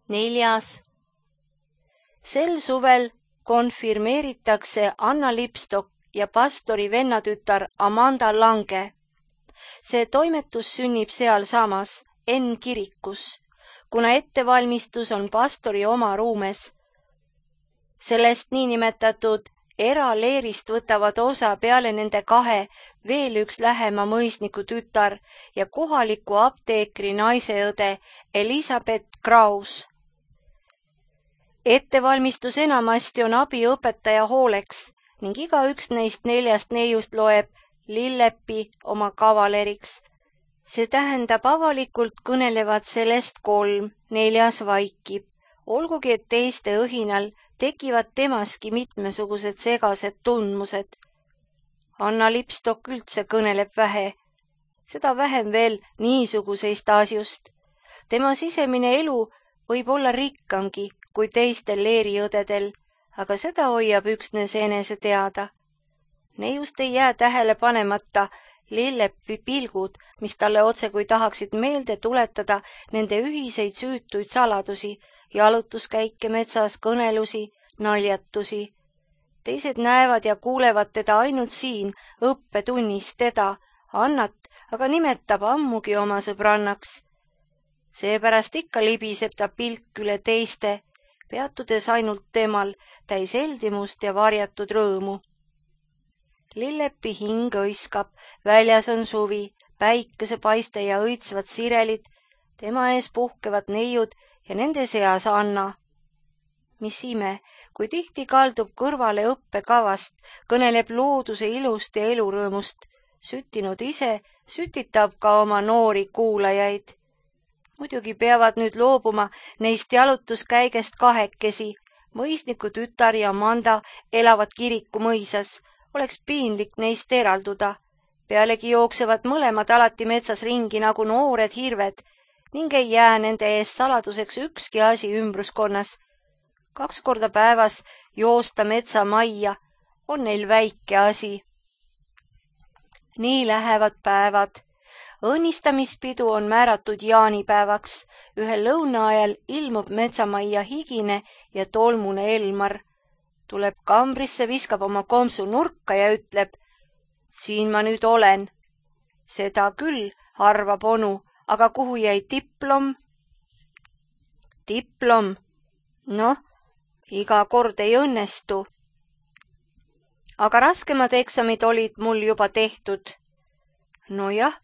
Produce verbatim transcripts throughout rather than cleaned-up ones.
Neljas. Sel suvel konfirmeeritakse Anna Lipstok ja pastori vennatütar Amanda Lange. See toimetus sünnib sealsamas N kirikus, kuna ettevalmistus on pastori oma ruumes. Sellest niinimetatud eraleerist võtavad osa peale nende kahe veel üks lähema mõisniku tütar ja kohaliku apteekri naiseõde Elisabeth Kraus. Ettevalmistus enamasti on abiõpetaja hooleks ning igaüks neist neljast neiust loeb Lillepi oma kavaleriks. See tähendab avalikult kõnelevad sellest kolm, neljas vaikib, olgugi et teiste õhinal tekivad temaski mitmesugused segased tundmused. Anna Lipstok üldse kõneleb vähe, seda vähem veel niisuguseist asjust. Tema sisemine elu võib olla rikkamgi kui teistel leeriõdedel, aga seda hoiab üksnes enese teada. Neiust ei jää tähele panemata Lillepi pilgud, mis talle otse kui tahaksid meelde tuletada nende ühiseid süütuid saladusi, jalutuskäike metsas, kõnelusi, naljatusi. Teised näevad ja kuulevad teda ainult siin õppetunnis teda, Annat, aga nimetab ammugi oma sõbrannaks. Seepärast ikka libiseb ta pilk üle teiste, peatudes ainult temal, täis heldimust ja varjatud rõõmu. Lillepi hing õiskab, väljas on suvi, päikesepaiste ja õitsvad sirelid, tema ees puhkevad neiud ja nende seas Anna. Mis ime, kui tihti kaldub kõrvale õppekavast, kõneleb looduse ilust ja elurõõmust, süttinud ise, sütitab ka oma noori kuulajaid. Muidugi peavad nüüd loobuma neist jalutuskäigest kahekesi, mõisniku tütar ja Amanda elavad kiriku mõisas, oleks piinlik neist eralduda. Pealegi jooksevad mõlemad alati metsas ringi nagu noored hirved ning ei jää nende eest saladuseks ükski asi ümbruskonnas. Kaks korda päevas joosta metsamajja on neil väike asi. Nii lähevad päevad. Õnnistamispidu on määratud jaanipäevaks. Ühel lõuna ajal ilmub metsamajja higine ja tolmune Elmar. Tuleb kambrisse, viskab oma kompsu nurka ja ütleb, siin ma nüüd olen. Seda küll, arvab onu, aga kuhu jäi diplom? Diplom? Noh, iga kord ei õnnestu. Aga raskemad eksamid olid mul juba tehtud. Nojah,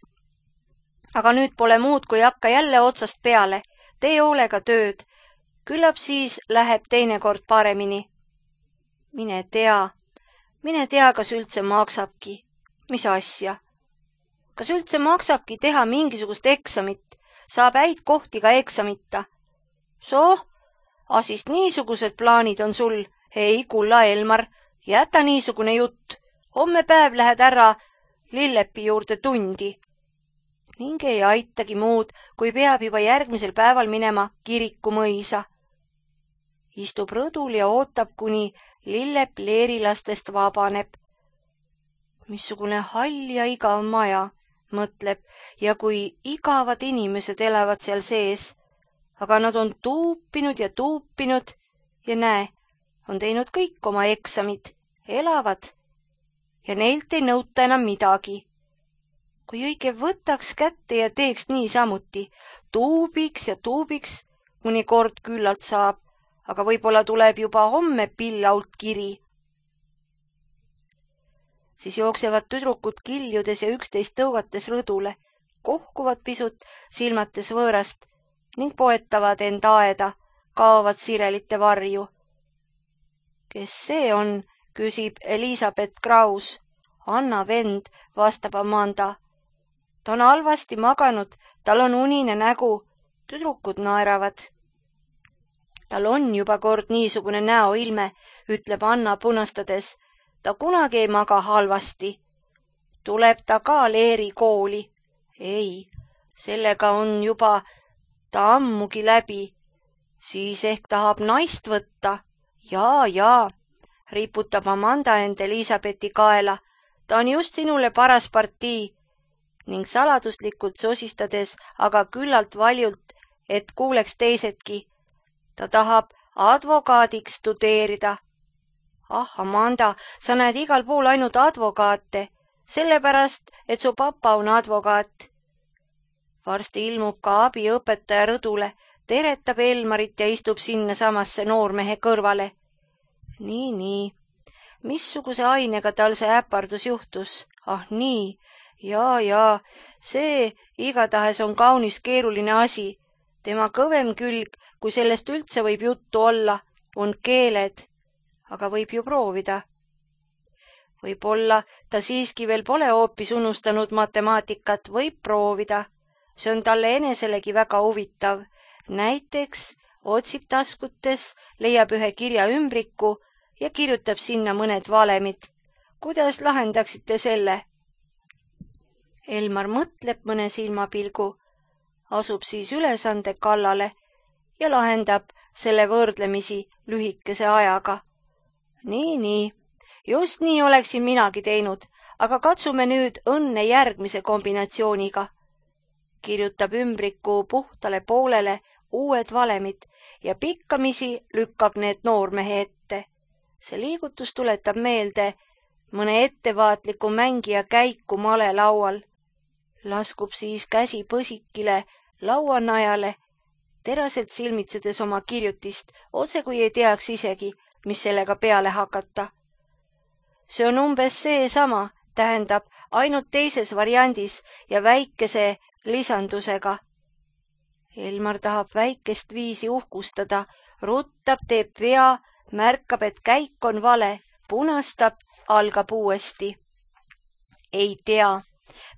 aga nüüd pole muud, kui hakka jälle otsast peale. Tee hoolega tööd. Küllap siis läheb teinekord paremini. Mine tea, mine tea, kas üldse maksabki. Mis asja? Kas üldse maksabki teha mingisugust eksamit? Saab häid kohti ka eksamita. Soh, asist niisugused plaanid on sul. Ei, kulla Elmar, jäta niisugune jutt. Homme päev lähed ära Lillepi juurde tundi. Ning ei aitagi muud, kui peab juba järgmisel päeval minema kiriku mõisa. Istub rõdul ja ootab, kuni Lillep leerilastest vabaneb. Missugune hall ja igav maja, mõtleb, ja kui igavad inimesed elavad seal sees, aga nad on tuupinud ja tuupinud ja näe, on teinud kõik oma eksamid, elavad ja neilt ei nõuta enam midagi. Kui õige võtaks kätte ja teeks niisamuti, tuubiks ja tuubiks, kuni kord küllalt saab, aga võib-olla tuleb juba homme pillault kiri. Siis jooksevad tüdrukud kiljudes ja üksteist tõugates rõdule, kohkuvad pisut, silmates võõrast ning poetavad end aeda, kaovad sirelite varju. Kes see on, küsib Elisabeth Kraus. Anna vend, vastab Amanda. Ta on halvasti maganud, tal on unine nägu, tüdrukud naeravad. Tal on juba kord niisugune näoilme, ütleb Anna punastades. Ta kunagi ei maga halvasti. Tuleb ta ka leeri kooli? Ei, sellega on juba ta ammugi läbi. Siis ehk tahab naist võtta. Jaa, jaa, riputab Amanda end Elisabethi kaela. Ta on just sinule paras partii. Ning saladuslikult sosistades, aga küllalt valjult, et kuuleks teisedki. Ta tahab advokaadiks studeerida. Ah, Amanda, sa näed igal pool ainult advokaate, sellepärast, et su papa on advokaat. Varsti ilmub ka abiõpetaja rõdule, teretab Elmarit ja istub sinna samasse noormehe kõrvale. Nii, nii. Missuguse ainega tal see äpardus juhtus? Ah nii, jaa, jaa, see igatahes on kaunis keeruline asi. Tema kõvem külg, kui sellest üldse võib juttu olla, on keeled, aga võib ju proovida. Võib-olla ta siiski veel pole hoopis unustanud matemaatikat, võib proovida. See on talle eneselegi väga huvitav. Näiteks otsib taskutes, leiab ühe kirja ümbriku ja kirjutab sinna mõned valemid. Kuidas lahendaksite selle? Elmar mõtleb mõne silmapilgu, asub siis ülesande kallale ja lahendab selle võrdlemisi lühikese ajaga. Nii, nii, just nii oleksin minagi teinud, aga katsume nüüd õnne järgmise kombinatsiooniga. Kirjutab ümbriku puhtale poolele uued valemid ja pikkamisi lükkab need noormehe ette. See liigutus tuletab meelde mõne ettevaatliku mängija käiku malelaual. Laskub siis käsi põsikile lauanajale, teraselt silmitsedes oma kirjutist, otse kui ei teaks isegi, mis sellega peale hakata. See on umbes see sama, tähendab ainult teises variandis ja väikese lisandusega. Elmar tahab väikest viisi uhkustada, ruttab, teeb vea, märkab, et käik on vale, punastab, algab uuesti. Ei tea,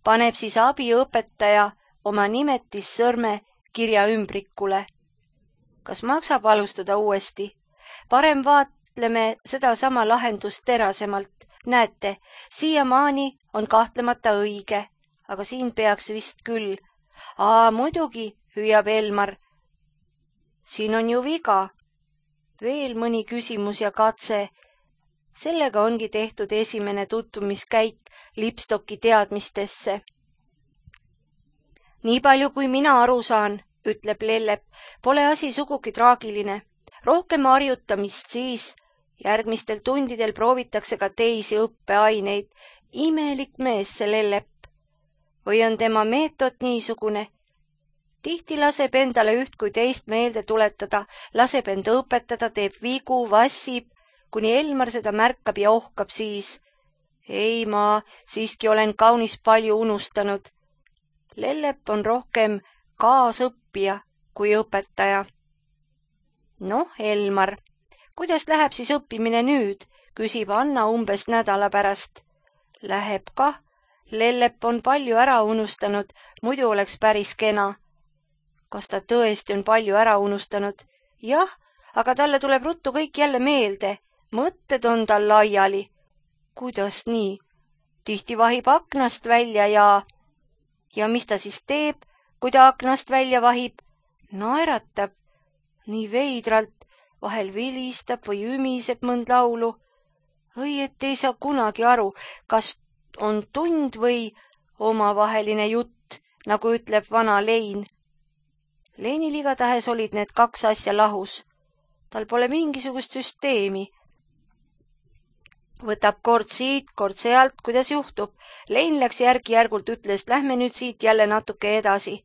paneb siis abiõpetaja oma nimetissõrme kirja ümbrikule. Kas maksab alustada uuesti? Parem vaatleme seda sama lahendust terasemalt. Näete, siiamaani on kahtlemata õige, aga siin peaks vist küll. Aa, muidugi, hüüab Elmar. Siin on ju viga. Veel mõni küsimus ja katse. Sellega ongi tehtud esimene tutvumiskäik Lipstocki teadmistesse. Nii palju kui mina aru saan, ütleb Lellep, pole asi sugugi traagiline. Rohkem harjutamist siis. Järgmistel tundidel proovitakse ka teisi õppeaineid. Imelik mees see Lellep. Või on tema meetod niisugune? Tihti laseb endale üht kui teist meelde tuletada, laseb end õpetada, teeb vigu, vassib, kuni Elmar seda märkab ja ohkab siis. Ei, ma siiski olen kaunis palju unustanud. Lellep on rohkem kaasõppija kui õpetaja. Noh, Elmar, kuidas läheb siis õppimine nüüd, küsib Anna umbes nädala pärast. Läheb kah. Lellep on palju ära unustanud, muidu oleks päris kena. Kas ta tõesti on palju ära unustanud? Jah, aga talle tuleb ruttu kõik jälle meelde. Mõtted on tal laiali. Kuidas nii? Tihti vahib aknast välja ja... Ja mis ta siis teeb, kui ta aknast välja vahib? Naeratab. Nii veidralt, vahel vilistab või ümiseb mõnd laulu. Või et ei saa kunagi aru, kas on tund või omavaheline jutt, nagu ütleb vana Lein. Leinil igatahes olid need kaks asja lahus. Tal pole mingisugust süsteemi. Võtab kord siit, kord sealt, kuidas juhtub. Lein läks järgi-järgult, ütles, lähme nüüd siit jälle natuke edasi.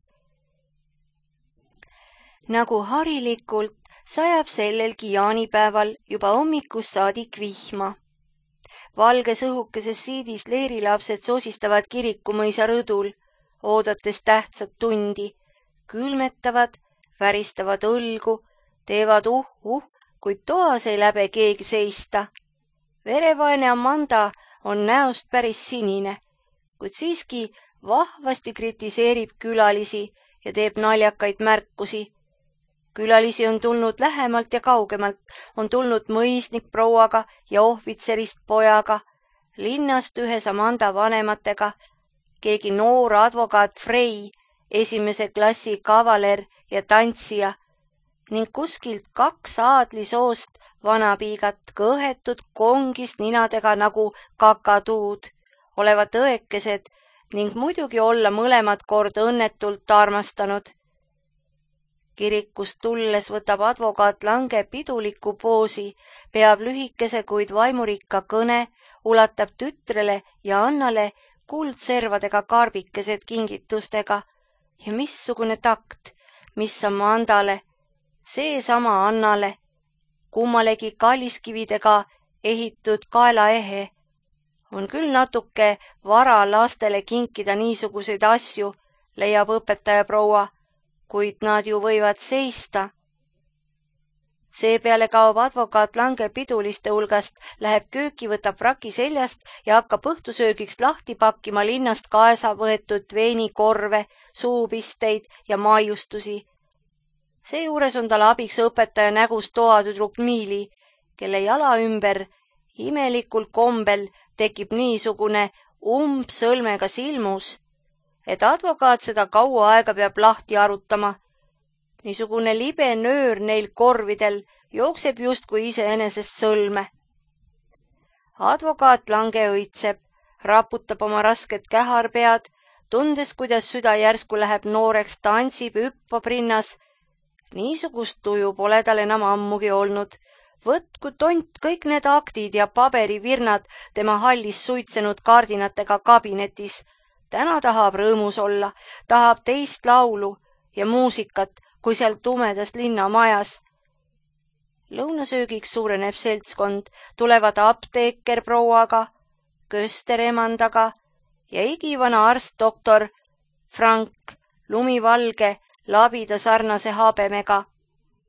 Nagu harilikult sajab sellelgi jaanipäeval juba hommikust saadik vihma. Valges õhukeses siidis leerilapsed sosistavad kirikumõisa rõdul, oodates tähtsat tundi, külmetavad, väristavad õlgu, teevad uh-uh, kuid toas ei läbe keegi seista. Verevaene Amanda on näost päris sinine, kuid siiski vahvasti kritiseerib külalisi ja teeb naljakaid märkusi. Külalisi on tulnud lähemalt ja kaugemalt, on tulnud mõisnik prouaga ja ohvitserist pojaga, linnast ühes Amanda vanematega, keegi noor advokaat Frey, esimese klassi kavaler ja tantsija ning kuskilt kaks aadlisoost vanapiigat kõhetud kongist ninadega nagu kakatuud, olevat õekesed ning muidugi olla mõlemad kord õnnetult armastanud. Kirikust tulles võtab advokaat Lange piduliku poosi, peab lühikese, kuid vaimurikka kõne, ulatab tütrele ja Annale kuldservadega karbikesed kingitustega. Ja missugune takt, mis Amandale, seesama Annale, kummalegi kalliskividega ehitud kaelaehe. On küll natuke vara lastele kinkida niisuguseid asju, leiab õpetaja proua, kuid nad ju võivad seista. Seepeale kaob advokaat Lange piduliste hulgast, läheb kööki, võtab fraki seljast ja hakkab õhtusöögiks lahti pakkima linnast kaesa võetud veinikorve, suupisteid ja maiustusi. Seejuures on tal abiks õpetaja nägust toatüdruk Miili, kelle jala ümber imelikul kombel tekib niisugune umbsõlmega silmus, et advokaat seda kaua aega peab lahti arutama. Niisugune libe nöör neil korvidel jookseb justkui iseenesest sõlme. Advokaat Lange õitseb, raputab oma rasket käharpead, tundes, kuidas süda järsku läheb nooreks, tantsib, hüppab rinnas. Niisugust tuju pole tal enam ammugi olnud. Võtku tont kõik need aktid ja paberivirnad tema hallis suitsenud kardinatega kabinetis. Täna tahab rõõmus olla, tahab teist laulu ja muusikat, kui seal tumedas linnamajas. Lõunasöögiks suureneb seltskond, tulevad apteeker prouaga, köster emandaga ja igivana arst doktor Frank, lumivalge, labida sarnase habemega.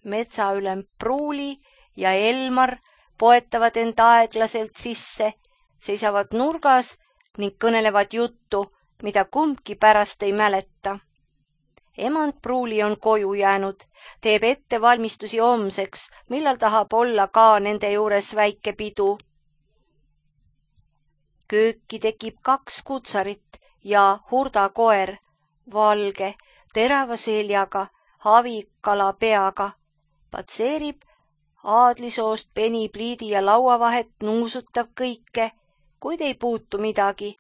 Metsaülem Pruuli ja Elmar poetavad end aeglaselt sisse, seisavad nurgas ning kõnelevad juttu, mida kumbki pärast ei mäleta. Emand Pruuli on koju jäänud, teeb ettevalmistusi homseks, millal tahab olla ka nende juures väike pidu. Kööki tekib kaks kutsarit ja hurdakoer, valge, terava seljaga, havikala peaga, patseerib aadlisoost penipliidi ja lauavahet, nuusutab kõike, kuid ei puutu midagi.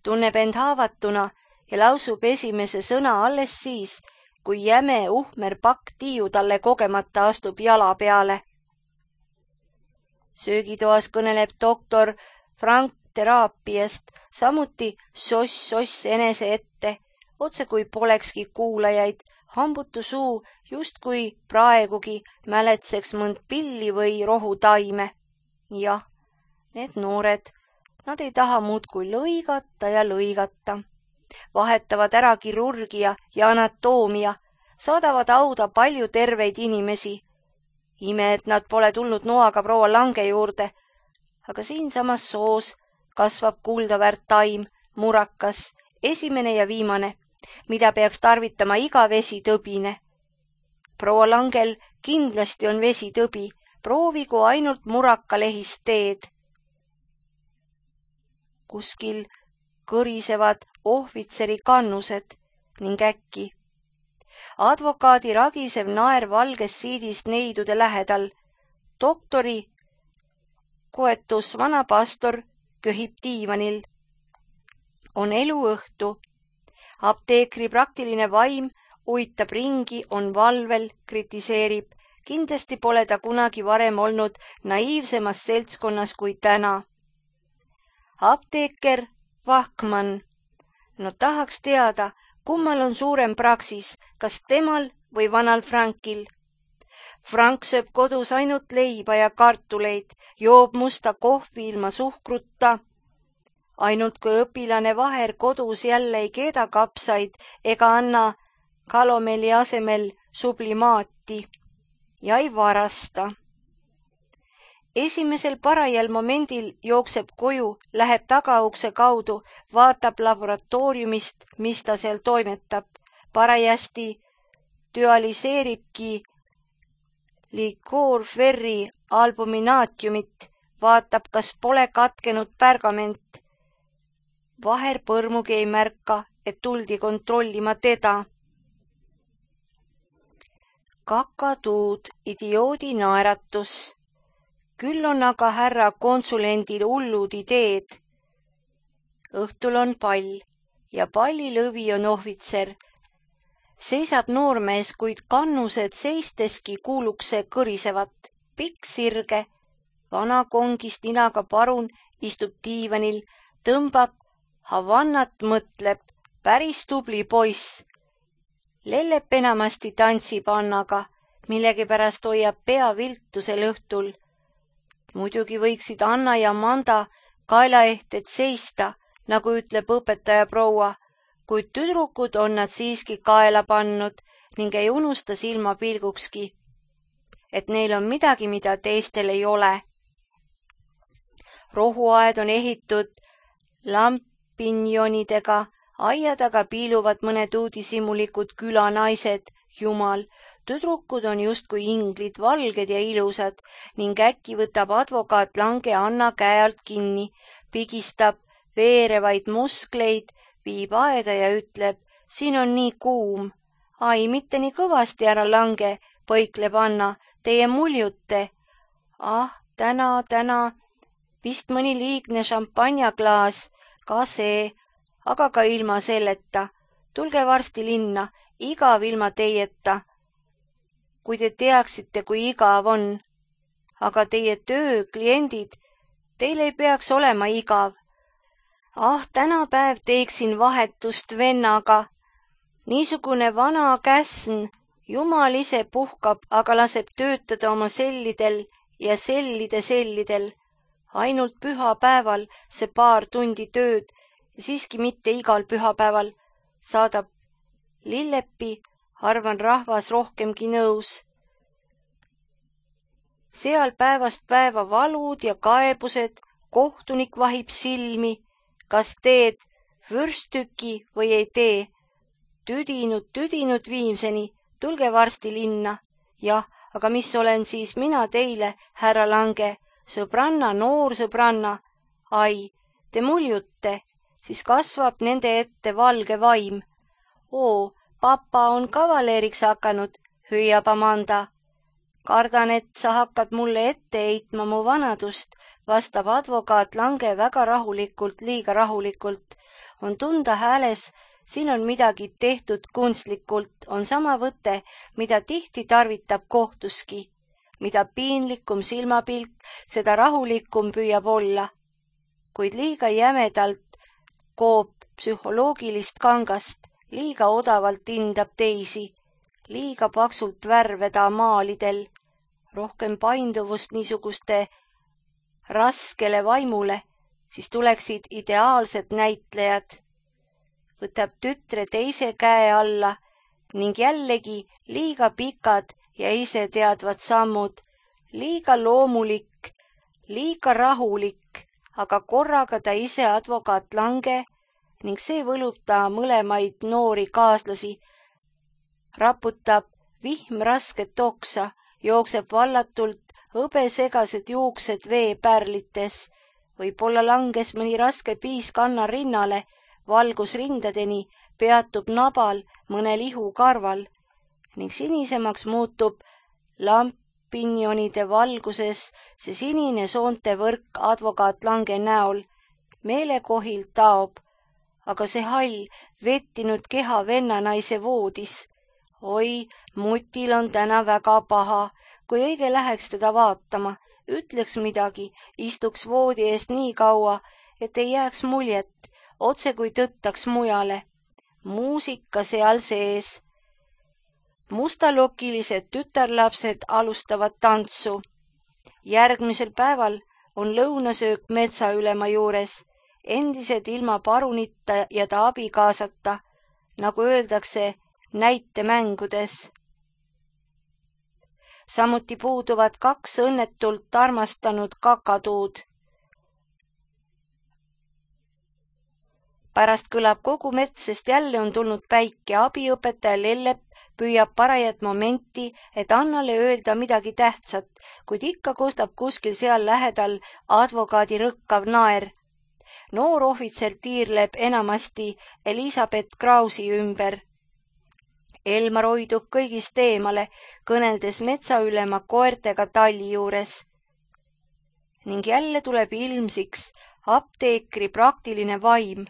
Tunneb end haavatuna ja lausub esimese sõna alles siis, kui jäme uhmer pakk tiiu talle kogemata astub jala peale. Söögitoas kõneleb doktor Frank teraapiast, samuti soss-soss enese ette, otse kui polekski kuulajaid, hambutu suu justkui praegugi mäletseks mõnd pilli või rohutaime. Jah, need noored, nad ei taha muudkui lõigata ja lõigata. Vahetavad ära kirurgia ja anatoomia, saadavad auda palju terveid inimesi. Ime, et nad pole tulnud noaga proua Lange juurde, aga siinsamas soos kasvab kuldaväärt taim, murakas, esimene ja viimane, mida peaks tarvitama iga vesitõbine. Proua Langel kindlasti on vesitõbi, proovigu ainult murakalehist teed. Kuskil kõrisevad ohvitseri kannused ning äkki. Advokaadi ragisev naer valges siidist neidude lähedal. Doktori koetus vana pastor köhib diivanil. On eluõhtu. Apteekri praktiline vaim uitab ringi, on valvel, kritiseerib. Kindlasti pole ta kunagi varem olnud naiivsemas seltskonnas kui täna. Apteeker Vahkman. No tahaks teada, kummal on suurem praksis, kas temal või vanal Frankil. Frank sööb kodus ainult leiba ja kartuleid, joob musta kohvi ilma suhkrutta. Ainult kui õpilane Vaher kodus jälle ei keeda kapsaid ega anna kalomeli asemel sublimaati ja ei varasta. Esimesel parajal momendil jookseb koju, läheb tagaukse kaudu, vaatab laboratooriumist, mis ta seal toimetab. Parajasti dualiseeribki Liquor Ferri albuminaatiumit, vaatab, kas pole katkenud pärgament. Vaher põrmugi ei märka, et tuldi kontrollima teda. Kakatuud, idioodi naeratus. Küll on aga härra konsulendil hullud ideed. Õhtul on pall ja pallilõvi on ohvitser. seisab noormees, kuid kannused seisteski kuulukse kõrisevat. Pikk sirge, vana kongist ninaga parun istub diivanil, tõmbab havannat, mõtleb, päris tubli poiss. Lellep enamasti tantsib Annaga, millegipärast hoiab pea viltusel õhtul. Muidugi võiksid Anna ja Manda kaelaehted seista, nagu ütleb õpetaja proua, kuid tüdrukud on nad siiski kaela pannud ning ei unusta silmapilgukski, et neil on midagi, mida teistel ei ole. Rohuaed on ehitud lampinjonidega, aia taga piiluvad mõned uudishimulikud külanaised, jumal, tüdrukud on justkui inglid, valged ja ilusad ning äkki võtab advokaat Lange Anna käe alt kinni, pigistab veerevaid muskleid, viib aeda ja ütleb, siin on nii kuum. Ai, mitte nii kõvasti, ära Lange, põikleb Anna, teie muljute. Ah, täna, täna, vist mõni liigne šampanjaklaas, ka see, aga ka ilma selleta. Tulge varsti linna, igav ilma teieta. Kui te teaksite, kui igav on. Aga teie töö, kliendid, teil ei peaks olema igav. Ah, tänapäev teeksin vahetust vennaga. Niisugune vana käsn, jumal ise puhkab, aga laseb töötada oma sellidel ja sellide sellidel. Ainult pühapäeval see paar tundi tööd ja siiski mitte igal pühapäeval saadab Lillepi, arvan rahvas rohkemgi nõus. Seal päevast päeva valud ja kaebused, kohtunik vahib silmi, kas teed vürstüki või ei tee. Tüdinud, tüdinud viimseni, tulge varsti linna. Jah, aga mis olen siis mina teile, härra Lange, sõbranna, noor sõbranna. Ai, te muljute, siis kasvab nende ette valge vaim. Oo, papa on kavaleriks hakanud, hüüab Amanda. Kardan, et sa hakkad mulle ette heitma mu vanadust, vastab advokaat Lange väga rahulikult, liiga rahulikult. On tunda hääles, siin on midagi tehtud kunstlikult, on sama võte, mida tihti tarvitab kohtuski. Mida piinlikum silmapilk, seda rahulikum püüab olla. Kuid liiga jämedalt koob psühholoogilist kangast, liiga odavalt hindab teisi, liiga paksult värve ta maalidel, rohkem painduvust niisuguste raskele vaimule, siis tuleksid ideaalsed näitlejad. Võtab tütre teise käe alla ning jällegi liiga pikad ja ise teadvad sammud, liiga loomulik, liiga rahulik, aga korraga ta ise advokaat Lange ning see võlub ta mõlemaid noori kaaslasi, raputab vihm rasket oksa, jookseb vallatult hõbesegased juuksed veepärlites, võib-olla langes mõni raske piisk Anna rinnale, valgus rindadeni, peatub nabal mõne lihu karval ning sinisemaks muutub lampinjonide valguses see sinine soonte võrk advokaat Lange näol. Meelekohil taob, aga see hall vettinud keha vennanaise voodis. Oi, mutil on täna väga paha, kui õige läheks teda vaatama, ütleks midagi, istuks voodi eest nii kaua, et ei jääks muljet, otse kui tõttaks mujale. Muusika seal sees. Mustalokilised tütarlapsed alustavad tantsu. Järgmisel päeval on lõunasöök metsaülema juures, endised ilma parunita ja ta abikaasata, nagu öeldakse näitemängudes. Samuti puuduvad kaks õnnetult armastanud kakatuud. Pärast kõlab kogu mets, sest jälle on tulnud päike, abiõpetaja Lellep püüab parajat momenti, et Annale öelda midagi tähtsat, kuid ikka kostab kuskil seal lähedal advokaadi rõkkav naer. Noor ohvitser tiirleb enamasti Elisabeth Krausi ümber. Elmar hoidub kõigist eemale, kõneldes metsaülema koertega talli juures. Ning jälle tuleb ilmsiks apteekri praktiline vaim.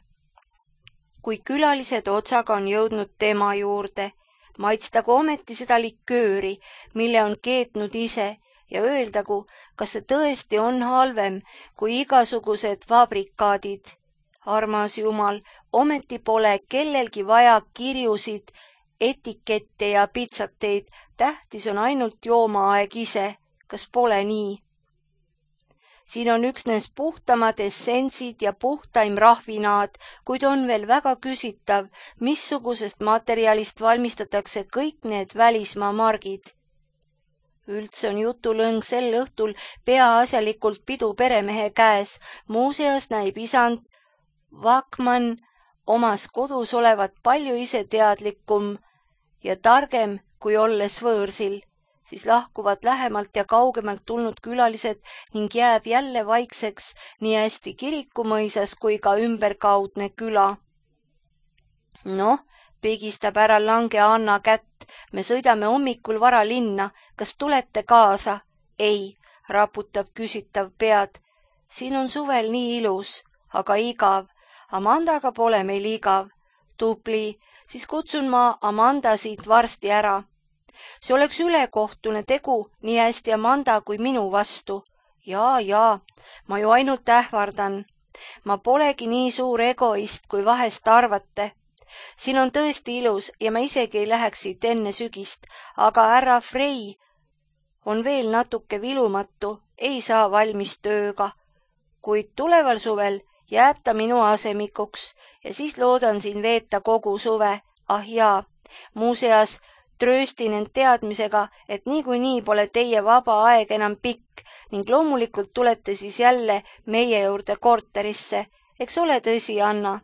Kui külalised otsaga on jõudnud tema juurde, maitstagu ometi seda likööri, mille on keetnud ise ja öeldagu, kas see tõesti on halvem kui igasugused fabrikaadid. Armas Jumal, ometi pole kellelgi vaja kirjusid, etikette ja pitsateid, tähtis on ainult joomaaeg ise, kas pole nii? Siin on üksnes puhtamad essentsid ja puhtaim rahvinaad, kuid on veel väga küsitav, missugusest materjalist valmistatakse kõik need välismaa margid. Üldse on jutulõng sel õhtul peaasjalikult pidu peremehe käes, muuseas näib isand Vakman omas kodus olevat palju iseteadlikum ja targem kui olles võõrsil, siis lahkuvad lähemalt ja kaugemalt tulnud külalised ning jääb jälle vaikseks nii hästi kirikumõisas kui ka ümberkaudne küla. Noh, pigistab ära lange Anna kätt, me sõidame hommikul vara linna, kas tulete kaasa? Ei, raputab küsitav pead. Siin on suvel nii ilus, aga igav. Amandaga pole meil igav. Tubli, siis kutsun ma Amanda siit varsti ära. See oleks ülekohtune tegu nii hästi Amanda kui minu vastu. Jaa, jaa, ma ju ainult ähvardan. Ma polegi nii suur egoist, kui vahest arvate. Siin on tõesti ilus ja ma isegi ei läheks siit enne sügist, aga härra Frey on veel natuke vilumatu, ei saa valmis tööga. Kuid tuleval suvel jääb ta minu asemikuks ja siis loodan siin veeta kogu suve. Ah jaa, muuseas trööstin end teadmisega, et niikuinii pole teie vaba aeg enam pikk ning loomulikult tulete siis jälle meie juurde korterisse. Eks ole tõsi, Anna?